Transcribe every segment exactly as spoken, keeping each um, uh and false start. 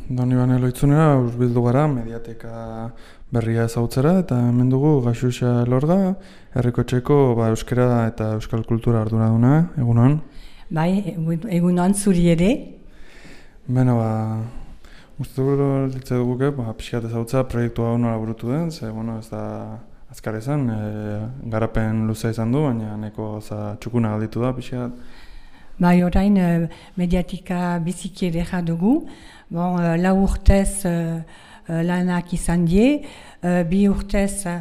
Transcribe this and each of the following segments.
Donibane Lohitzunera hurbildu gara mediateka berria ezagutzera eta hemen dugu Gaxuxa Elorga, Herrikotxeko ba, euskara eta euskal kultura arduraduna, egunon? Bai, egunon zuri ere. Beno, ba, uste dugu ba, pixkat ezagutza proiektu hau nola burutu den, ze, bueno, ez da azkar izan, e, garapen luzea izan du, baina neko za txukuna galditu da pixkat. Bai, orain mediatika biziki edera dugu. Bon, lau urtez uh, lanak izan die, uh, bi urtez uh,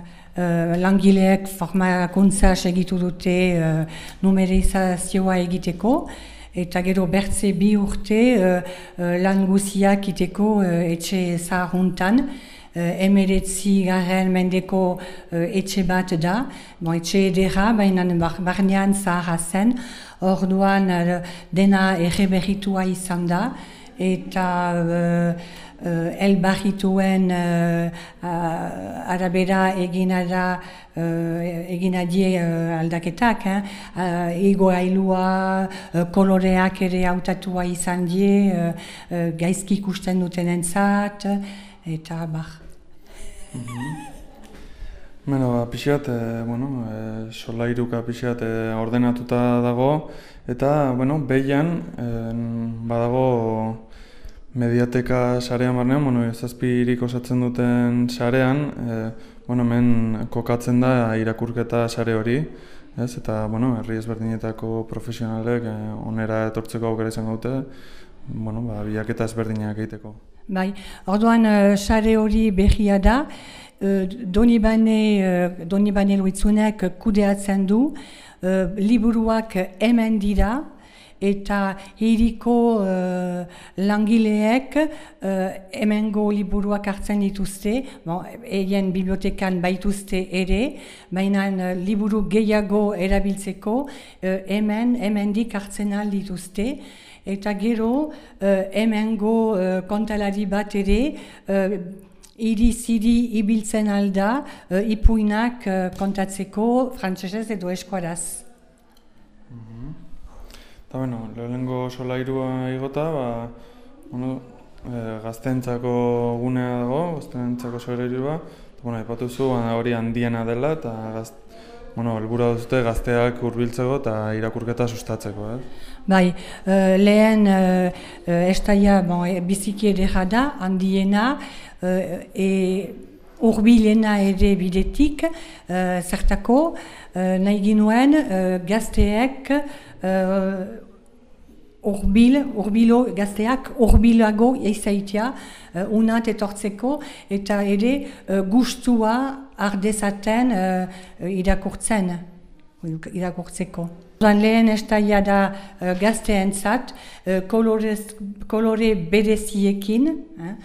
langileek formakuntza segitu dute uh, numerizazioa egiteko, eta gero bertze bi urte uh, uh, lan guziak iteko uh, etxe zaharuntan. Uh, emeretzi garen mendeko uh, etxe bat da, bon, etxe edera, baina barnean zaharra zen, orduan uh, dena erreberritua izan da, eta uh, uh, elbarrituen uh, uh, arabera egina da uh, egina die uh, aldaketak, eh? uh, igoailua, uh, koloreak ere hautatua izan die, uh, uh, gaizki ikusten dutenentzat, eta bar. Mm-hmm. Beno, ba, pixat, e, bueno, e, solairuka pixat e, ordenatuta dago, eta, bueno, behian e, badago mediateka sarean barnean, bueno, zazpirik osatzen duten sarean, e, bueno, hemen kokatzen da irakurketa sare hori, ez? Eta, bueno, herri ezberdinetako profesionalek e, onera etortzeko aukera izango dute, bueno, ba, bilaketa ezberdinak egiteko. Bai, orduan sare hori berria da, Donibane, Donibane Lohitzunek kudeatzen du, liburuak hemen dira, eta hiriko uh, langileek uh, hemengo liburuak hartzen dituzte, bon, egin bibliotekan baituzte ere, baina uh, liburu gehiago erabiltzeko uh, hemen, hemendik hartzen ahal dituzte, eta gero uh, hemengo uh, kontalari bat ere, uh, iri-ziri ibiltzen alda, uh, ipuinak uh, kontatzeko frantsesez edo eskuaraz. Eta, bueno, lehenengo solairua igota, ba, bueno, e, gaztentzako gunea dago, gaztentzako solairua, eta, bueno, ipatuzu, hori handiena dela, eta, gaz, bueno, helburua duzute gazteak hurbiltzeko eta irakurketa sustatzeko, eh? Bai, uh, lehen uh, estaia bon, e, biziki edera da, handiena, uh, e, urbilena ere bidetik, uh, zertako, uh, nahi ginuen uh, gazteek, uh, urbil, urbilo, gazteak urbilago izaitia, uh, unat etortzeko, eta ere uh, gustua ardezaten uh, irakurtzen, irakurtzeko. Lehen estaia da uh, gazteentzat, uh, kolore bereziekin, eh?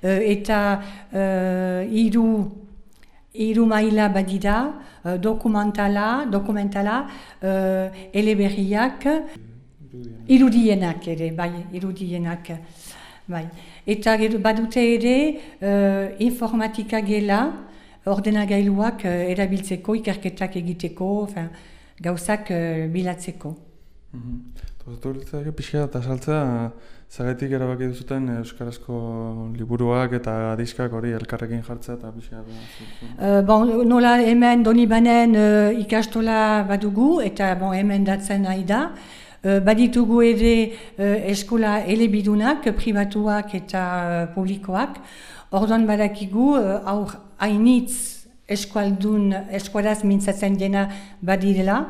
Uh, eta uh, iru, iru maila badira, uh, dokumentala, dokumentala, uh, eleberriak, irudienak ere, bai, irudienak. Bai. Eta badute ere uh, informatika gela, ordenagailuak uh, erabiltzeko, ikerketak egiteko, fin, gauzak uh, bilatzeko. Tortulitzak pixka eta saltzea, zagaitik erabaki duzuten euskarazko liburuak eta diskak hori elkarrekin jartzea eta pixka uh, bon, nola hemen Donibanen uh, ikastola badugu eta bon, hemen datzen nahi da. Uh, baditugu ere uh, eskola elebidunak, pribatuak eta uh, publikoak. Orduan badakigu, uh, aur hainitz eskualdun, eskualaz mintzatzen dena badirela.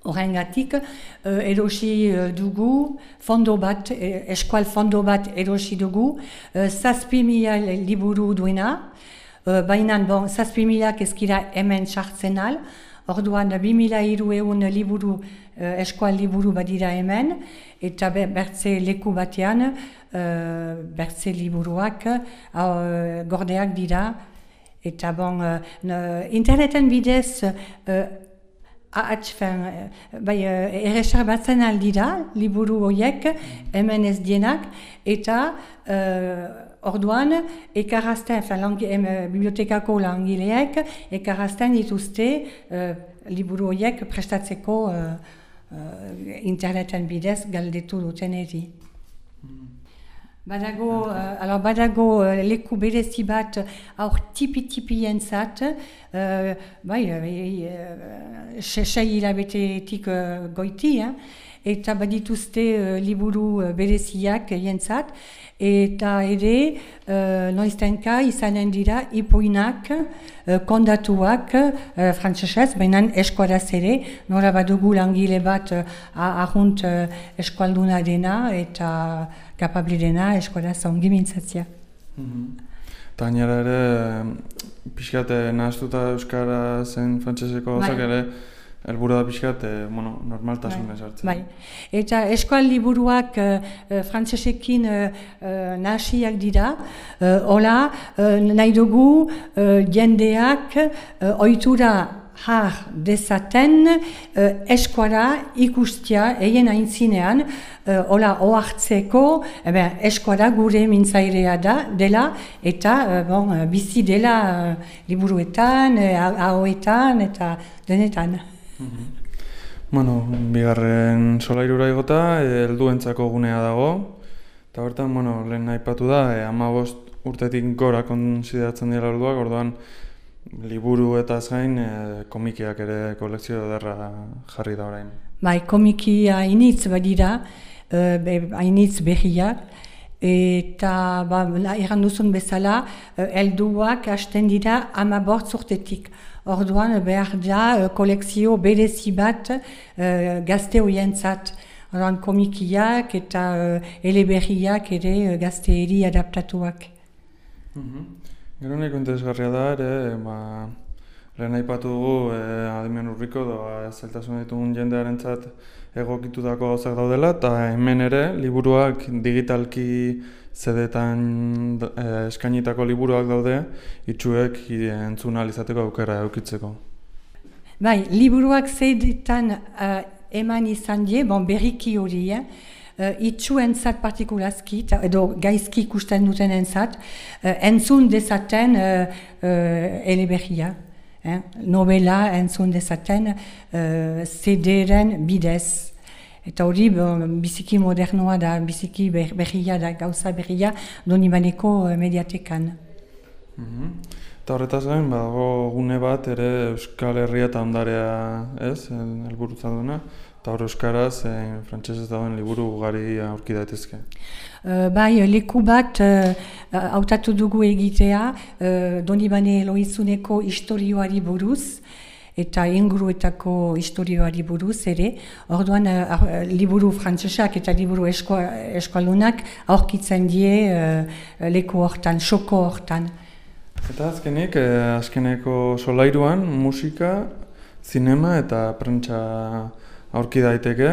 Horrengatik, uh, erosi uh, dugu, fondo bat, eh, eskual fondo bat erosi dugu, uh, zazpi mila liburu duena, uh, baina bon, zazpi milak ezkira hemen sartzen al, orduan bi mila hirurehun liburu, uh, eskual liburu badira hemen, eta bertze leku batean, uh, bertze liburuak uh, gordeak dira, eta bon, uh, interneten bidez, uh, Atxfen, bai, erresar batzen aldira, liburu horiek, hemen ez dienak, eta uh, orduan, ekarazten, fin, bibliotekako langileek, ekarazten dituzte uh, liburu horiek prestatzeko uh, uh, interneten bidez galdetu duten eri. Badago, uh, alors badago uh, leku berezi bat aur tipi-tipientzat, uh, bai, uh, sei hilabetetik uh, goiti, eh? Eta badituzte uh, liburu uh, bereziak jentzat, eta ere uh, noiztenka izanen dira ipuinak, uh, kondatuak uh, frantsesez, baina eskuaraz ere, nora badugu langile bat uh, ahunt uh, eskualduna dena eta kapabli dena eskuaraz ongi mintzatzea. Eta gainera ere, pixkate nahaztuta euskara zen frantseseko gauzak ere, helburua da pixkat, eh, bueno, normaltasun esartzen. Bai. Eta eskual liburuak uh, frantsesekin uh, uh, nahasiak dira, uh, hola, uh, nahi dugu uh, jendeak uh, ohitura har dezaten uh, eskuara ikustia eien aintzinean, uh, hola ohartzeko, eben, eskuara gure mintzairea da, dela, eta uh, bon, bizi dela uh, liburuetan, uh, ahoetan, eta denetan. Mm-hmm. Bueno, bigarren solairura igota, helduentzako gunea dago, eta bertan, bueno, lehen aipatu da, e, hamabost urtetik gora konsideratzen dira helduak, orduan liburu eta gain e, komikiak ere kolekzio ederra jarri da orain. Bai, komikia hainitz badira, hainitz berriak, eta ba, erran duzun bezala, helduak hasten dira hamabost urtetik. Orduan behar da kolekzio berezi bat uh, gazte horientzat. Orduan komikiak eta uh, eleberriak ere uh, gazteeri adaptatuak. Mm-hmm. Gero nahiko interesgarria da ere, ba, lehen aipatu dugu eh, adimen urriko doa zailtasun ditugun jendearentzat egokitutako gauzak daudela, eta hemen ere liburuak digitalki zedetan eh, eskainitako liburuak daude, itxuek entzun ahal izateko aukera eukitzeko. Bai, liburuak zedetan uh, eman izan die, bon, berriki hori, eh? uh, itxuentzat partikulazki, edo gaizki ikusten duten entzat, uh, entzun dezaten uh, uh, eleberria. Eh? Novela entzun dezaten uh, zederen bidez. Eta hori biziki modernoa da, biziki berria da, gauza berria Donibaneko mediatekan. Mm-hmm. Eta horretaz gain, badago gune bat ere Euskal Herria eta ondarea, ez, helburutza duena, eta hor euskaraz, e, frantsesez dauden liburu ugari aurki daitezke. Uh, bai, leku bat hautatu uh, dugu egitea uh, Donibane Elohizuneko istorioari buruz, eta inguruetako istorioari buruz ere, orduan uh, liburu frantsesak eta liburu esko, eskualunak aurkitzen die uh, leku hortan, xoko hortan. Eta azkenik, eh, azkeneko solairuan musika, zinema eta prentsa aurki daiteke.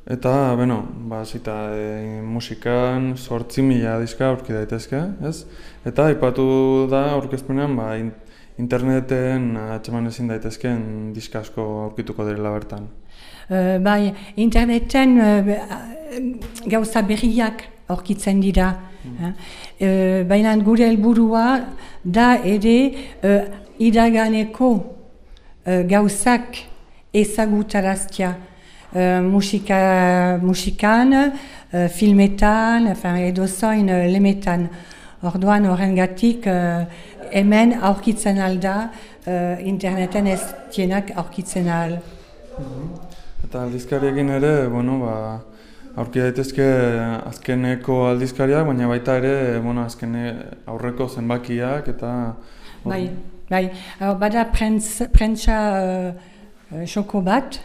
Eta, beno, ba, zita, e, musikan zortzi mila diska aurki daitezke, ez? Eta aipatu da aurkezpenean, ba, in, interneten atxeman ezin daitezken diska asko aurkituko direla bertan. Uh, bai, interneten uh, gauza berriak aurkitzen dira. Mm. Uh, baina gure helburua da ere uh, iraganeko uh, gauzak ezagutaraztia. Uh, musika, musikan, uh, filmetan, enfin, edo zoin uh, lemetan. Orduan horrengatik uh, hemen aurkitzen alda, uh, interneten ez tienak aurkitzen al. Mm-hmm. Eta aldizkariekin ere, bueno, ba, aurki daitezke azkeneko aldizkariak, baina baita ere, bueno, azkene aurreko zenbakiak eta... Bai, bai, bada prentsa uh, xoko bat,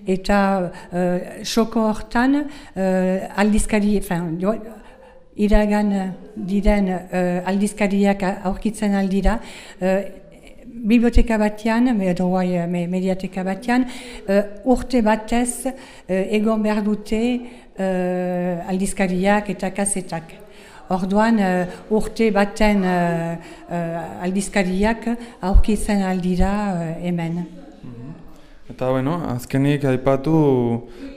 eta uh, xoko hortan uh, aldizkari, enfin, iragan diren uh, aldizkariak aurkitzen aldira, uh, biblioteka batean, edo guai mediateka batean, uh, urte batez uh, egon behar dute uh, aldizkariak eta kasetak. Orduan uh, urte baten uh, uh, aldizkariak aurkitzen aldira uh, hemen. Eta, bueno, azkenik aipatu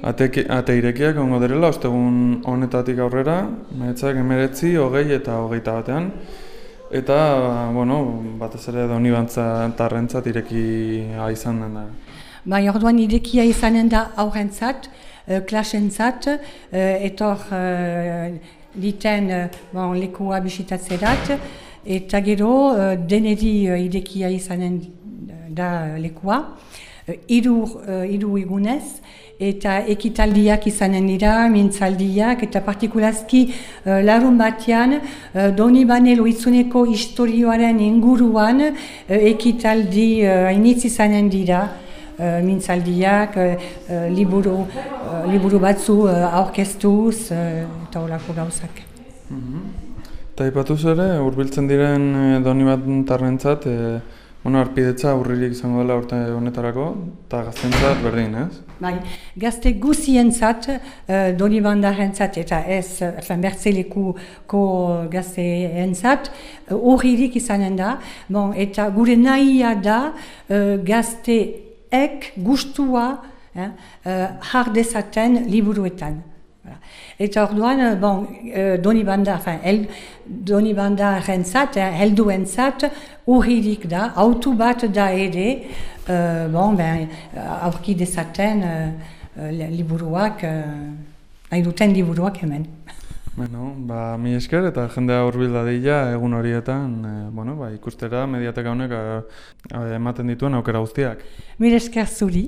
ate, ate irekiak ongo direla, ostegun honetatik aurrera, meretzak emeretzi, hogei eta hogeita batean. Eta, bueno, batez ere Donibantza tarrentzat irekia izan den da. Bai, orduan irekia izanen da aurrentzat, uh, klasentzat, uh, etor uh, diten uh, bon, lekua bisitatzerat, eta gero uh, deneri uh, idekia izanen da lekua, uh, hiru uh, hiru egunez, eta ekitaldiak izanen dira, mintzaldiak, eta partikulazki uh, larun batean uh, Donibane Lohitzuneko historioaren inguruan uh, ekitaldi uh, hainitz izanen dira, uh, mintzaldiak, uh, uh, liburu, uh, liburu batzu uh, aurkeztuz, uh, eta horako gauzak. Mm-hmm. Eta ipatuz ere, hurbiltzen diren eh, Donibantarrentzat, eh, bueno, arpidetza aurririk izango dela urte honetarako, eta gaztentzat berdin, ez? Bai, gazte guzientzat, uh, Donibandarrentzat eta ez, enfin, Bertzelekuko gazteentzat, horririk uh, izanen da, bon, eta gure nahia da uh, gazteek gustua eh, uh, har dezaten liburuetan. Eta orduan, bon, Donibanda, enfin, el, Donibandarrentzat, eh, helduentzat, urririk da, autu bat da ere, uh, bon, ben, aurki dezaten uh, liburuak, uh, nahi duten liburuak hemen. Bueno, ba, mi esker eta jendea hurbil dadila egun horietan, eh, bueno, ba, ikustera mediateka honek eh, ematen dituen aukera guztiak. Mi esker zuri.